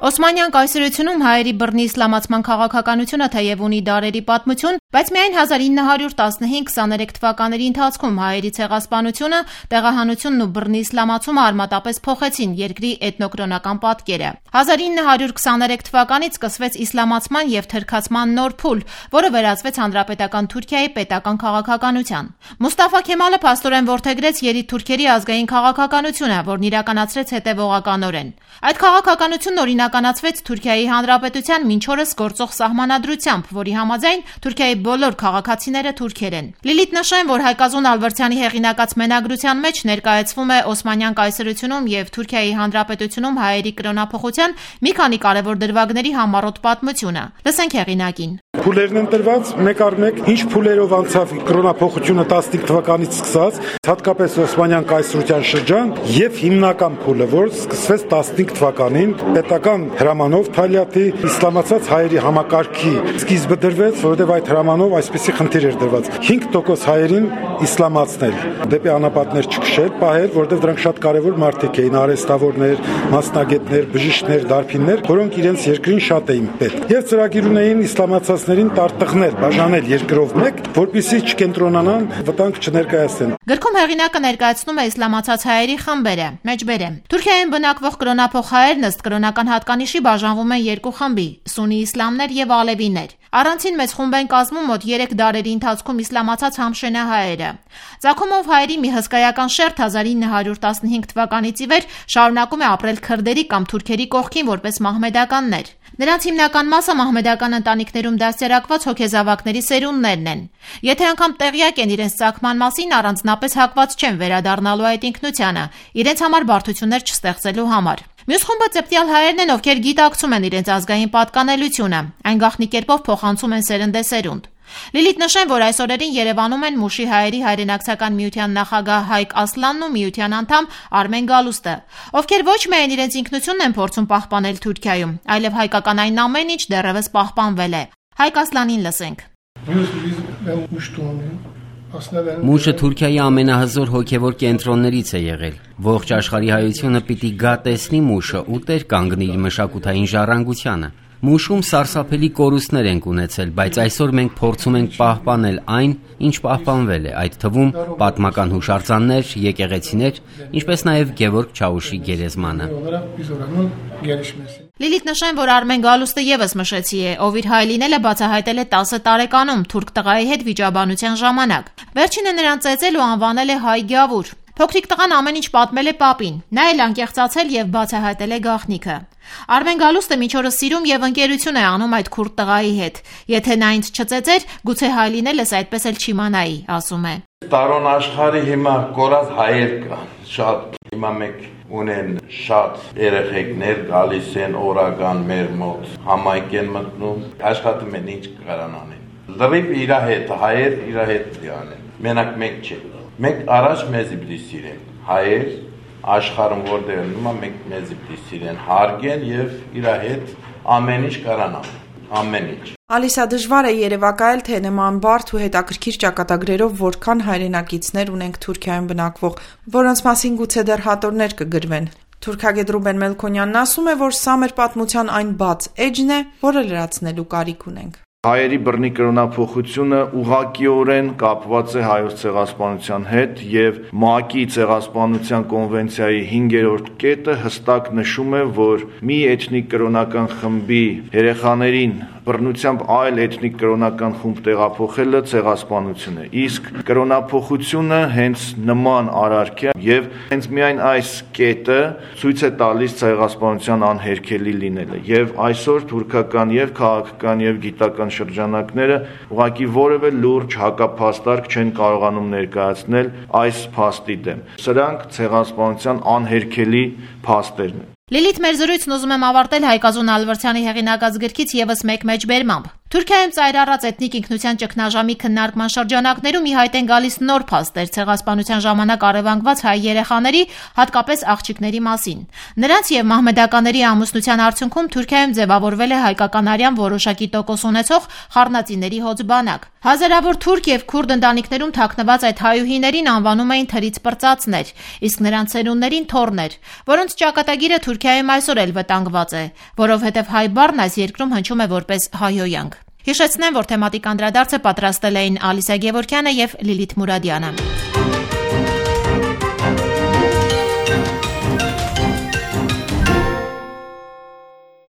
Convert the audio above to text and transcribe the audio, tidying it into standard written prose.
Օսմանյան կայսրությունում հայերի բռնի իսլամացման քաղաքականությունը թեև ունի դարերի պատմություն, բայց միայն 1915-23 թվականների ընթացքում հայերի ցեղասպանությունը, տեղահանությունն ու բռնի իսլամացումը արմատապես փոխեցին երկրի էթնոկրոնական պատկերը։ 1923 թվականից սկսվեց իսլամացման և թրքացման նոր փուլ, որը վերածվեց հանրապետական Թուրքիայի պետական քաղաքականության։ Մուստաֆա Քեմալը փաստորեն որդեգրեց երիտթուրքերի ազգային քաղաքականությունը, որն իրականացրեց հետևողականորեն։ Այդ քաղաքականությունն օրինականացվեց Թուրքիայի Հանրապետության մինչ օրս գործող սահմանադրությամբ, որի համաձայն Թուրքիայի բոլոր քաղաքացիները թուրքեր են։ Լիլիթ նշեն, որ Հայկազուն Ալբերտյանի հեղինակած մենագրության մեջ ներկայացվում է Օսմանյան կայսրությունում և Թուրքիայի Հանրապետությունում հայերի կրոնափոխության մի քանի կարևոր դրվագների համառոտ պատմությունը։ Լսենք հեղինակին։ Փուլերն են տրված մեկ առ մեկ, ինչ փուլերով անցավ կրոնափոխությունը 15 թվականից սկսած, հատկապես Օսմանյան կայսրության շրջան, եւ հիմնական փուլը, որ սկսվեց 15 թվականին, պետական հրամանով Թալյատի իսլամացած հայերի համակարգի սկիզբը դրվեց, որովհետեւ այդ հրամանով այսպիսի խնդիր էր դրված 5% հայերին իսլամացնել, դեպի անապատներ չքշել, պահել, որովհետեւ դրանք շատ կարեւոր մարդիկ էին, արհեստավորներ, մասնագետներ, բժիշկներ, դարբիններ, որոնք իրենց երկրին շատ էին պետք։ Եվ ծրագիր ունեին իսլամացածներին տարտղներ, բաժանել երկրով մեկ, որպեսզի չկենտրոնանան, վտանգ չներկայացնեն։ Գրքում հեղինակը ներկայացնում է իսլամացած հայերի խմբերը։ Մեջբերեմ։ Թուրքիայում բնակվող կրոնափոխ հայերն ըստ կրոնական հատկանիշի բաժանվում են երկու խմբի՝ սուննի իսլամներ եւ ալևիներ։ Առանցին մեծ խումբ են կազմում մոտ 3 դարերի ընթացքում իսլամացած համշենահայերը։ Ծագումով հայերի մի հսկայական շերտ 1915 թվականից ի վեր շարունակում է ապրել քրդերի կամ թուրքերի կողքին որպես մահմեդականներ։ Նրանց հիմնական մասը մահմեդական ընտանիքներում դաստիարակված հոգեզավակների սերունդներն են։ Եթե անգամ տեղյակ են իրենց ծագման մասին, առանձնապես հակված չեն վերադառնալու այդ ինքնությանը, իրենց համար բարդություններ չստեղծելու համար։ Մյուս խումբը ծեպտյալ հայերն են, ովքեր գիտակցում են իրենց ազգային պատկանելությունը, այն գաղտնի կերպով փոխանցում են սերնդեսերունդ։ Լիլիթ նշեն, որ այս օրերին Երևանում են Մուշի հայերի հայրենակցական միության նախագահ Հայկ Ասլանն ու միության անդամ Արմեն Գալուստը, ովքեր ոչ միայն իրենց ինքնությունն են փորձում պահպանել Թուրքիայում, այլև հայկական այն ամեն ինչ դեռևս պահպանվել է։ Հայկ Ասլանին լսենք։ Մուշը Թուրքիայի ամենահզոր հոգևոր կենտրոններից է եղել։ Ողջ աշխարհի հայությունը պիտի գա տեսնի Մուշը ու տեր կանգնի իր մշակութային ժառանգությանը։ Մուշում սարսափելի կորուստներ ենք ունեցել, բայց այսօր մենք փորձում ենք պահպանել այն, ինչ պահպանվել է, այդ թվում պատմական հուշարձաններ, եկեղեցիներ, ինչպես նաև Գևորգ Չաուշի գերեզմանը։ Լիլիթ նշեն, որ Արմեն Գալուստը եւս մշեցի է, ով իր հայ լինելը բացահայտել է 10 տարեկանում թուրք տղայի հետ վիճաբանության ժամանակ։ Վերջինը նրան ծեծել ու անվանել է հայ գավուր։ Փոքրիկ տղան ամեն ինչ պատմել է պապին, նա էլ անկեղծացել եւ բացահայտել է գաղտնիքը։ Արմեն Գալուստը մինչ օրս սիրում եւ ընկերություն է անում այդ քուրդ տղայի հետ։ Եթե նա ինձ չծեծեր, գուցե հայ լինելս այդպես էլ չիմանայի, ասում է։ Տարոն աշխարհի հիմա կորած հայեր կան, շատ հիմա մեկ ունեն շատ երեխեքներ գալիս են օրական մեր մոտ, համայնք են մտնում, աշխատում են ինչ կարան անեն։ Լրիվ իր հետ, հայեր իր հետ դիանեն։ Մենակ մեկ չէ։ Մենք առաջ մեզի պիտի սիրեն, հայեր աշխարհում որտեղ նույնը մենք մեզի պիտի սիրեն, հարգեն եւ իր հետ ամեն ինչ կարան անեն, ամեն ինչ։ Ալիսա, դժվար է երևակայել, թե նման բարդ ու հետաքրքիր ճակատագրերով որքան հայրենակիցներ ունենք Թուրքիայում բնակվող, որոնց մասին գուցե դեռ հատորներ կգրվեն։ Թուրքագետ Ռուբեն Մելքոնյանն ասում է, որ սա մեր պատմության այն բաց էջն է, որը լրացնելու կարիք ունենք։ Հայերի բռնի կրոնափոխությունը ուղղակիորեն կապված է հայոց ցեղասպանության հետ եւ ՄԱԿ-ի ցեղասպանության կոնվենցիայի 5-րդ կետը հստակ նշում է, որ մի էթնիկ կրոնական խմբի երեխաներին բռնությամբ այլ էթնիկ կրոնական խումբ տեղափոխելը ցեղասպանություն է։ Իսկ կրոնափոխությունը հենց նման արարք է եւ հենց միայն այս կետը ցույց է տալիս ցեղասպանության անհերքելի լինելը։ Եվ այսօր թուրքական եւ քաղաքական եւ գիտական շրջանակները ուղղակի որևէ լուրջ հակափաստարկ չեն կարողանում ներկայացնել այս փաստի դեմ։ Սրանք ցեղասպանության անհերքելի փաստերն են։ Լիլիթ, մեր զրույցն ուզում եմ ավարտել Հայկազուն Ալբերտյանի հեղինակած գրքից եւս մեկ մեջբերմամբ։ Թուրքիայում ծայրառած էթնիկ ինքնության ճգնաժամի քննարկման շրջանակներում ի հայտ են գալիս նոր փաստեր ցեղասպանության ժամանակ առևանգված հայ երեխաների, հատկապես աղջիկների մասին։ Նրանց եւ մահմեդականների ամուսնության արդյունքում Թուրքիայում ձևավորվել է հայկականարյան որոշակի տոկոս ունեցող խառնածիների հոծ բանակ։ Հազարավոր թուրք եւ քուրդ ընտանիքներում թաքնված այդ հայուհիներին անվանում էին թրից պրծածներ, իսկ նրանց ծերուններին թոռներ, որոնց ճակատագիրը Թուրքիայում այսօր էլ վտանգված է, որովհետեւ հայ բառն այս երկրում հնչում է որպես հայոյանք։ Հիշեցնեմ, որ թեմատիկ անդրադարձը պատրաստել էին Ալիսա Գևորգյանը եւ Լիլիթ Մուրադյանը։